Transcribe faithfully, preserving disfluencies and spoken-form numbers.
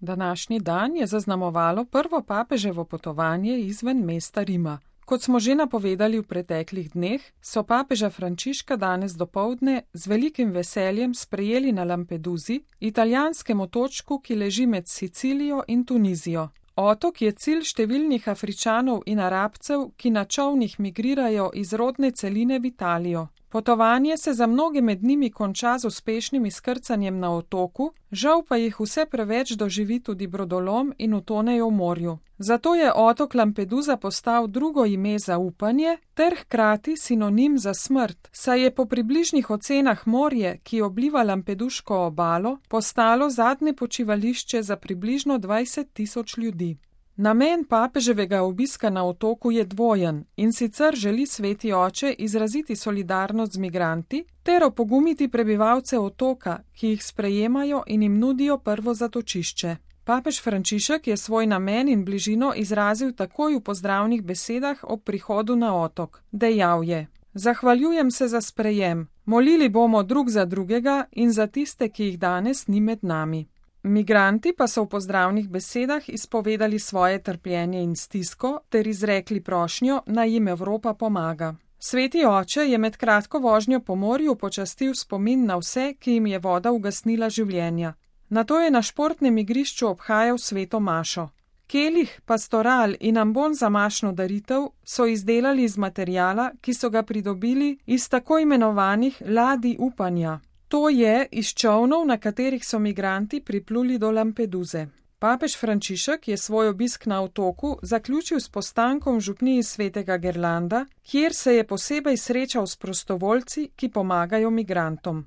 Današnji dan je zaznamovalo prvo papeževo potovanje izven mesta Rima. Kot smo že napovedali v preteklih dneh, so papeža Frančiška danes dopoldne z velikim veseljem sprejeli na Lampedusi, italijanskem otočku, ki leži med Sicilijo in Tunizijo. Otok je cilj številnih Afričanov in Arabcev, ki na čolnih migrirajo iz rodne celine v Italijo. Potovanje se za mnoge med njimi konča z uspešnim izkrcanjem na otoku, žal pa jih vse preveč doživi tudi brodolom in utonejo v morju. Zato je otok Lampedusa postal drugo ime za upanje ter hkrati sinonim za smrt, saj je po približnih ocenah morje, ki obliva lampeduško obalo, postalo zadnje počivališče za približno dvajset tisoč ljudi. Namen papeževega obiska na otoku je dvojen, in sicer želi Sveti oče izraziti solidarnost z migranti ter opogumiti prebivalce otoka, ki jih sprejemajo in jim nudijo prvo zatočišče. Papež Frančišek je svoj namen in bližino izrazil takoj v pozdravnih besedah ob prihodu na otok. Dejal je: "Zahvaljujem se za sprejem, molili bomo drug za drugega in za tiste, ki jih danes ni med nami." Migranti pa so v pozdravnih besedah izpovedali svoje trpljenje in stisko ter izrekli prošnjo, naj jim Evropa pomaga. Sveti oče je med kratko vožnjo po morju počastil spomin na vse, ki jim je voda ugasnila življenja. Nato je na športnem igrišču obhajal sveto mašo. Kelih, pastoral in ambon za mašno daritev so izdelali iz materiala, ki so ga pridobili iz tako imenovanih ladij upanja. To je iz čolnov, na katerih so migranti pripluli do Lampeduse. Papež Frančišek je svoj obisk na otoku zaključil s postankom v župniji svetega Gerlanda, kjer se je posebej srečal s prostovoljci, ki pomagajo migrantom.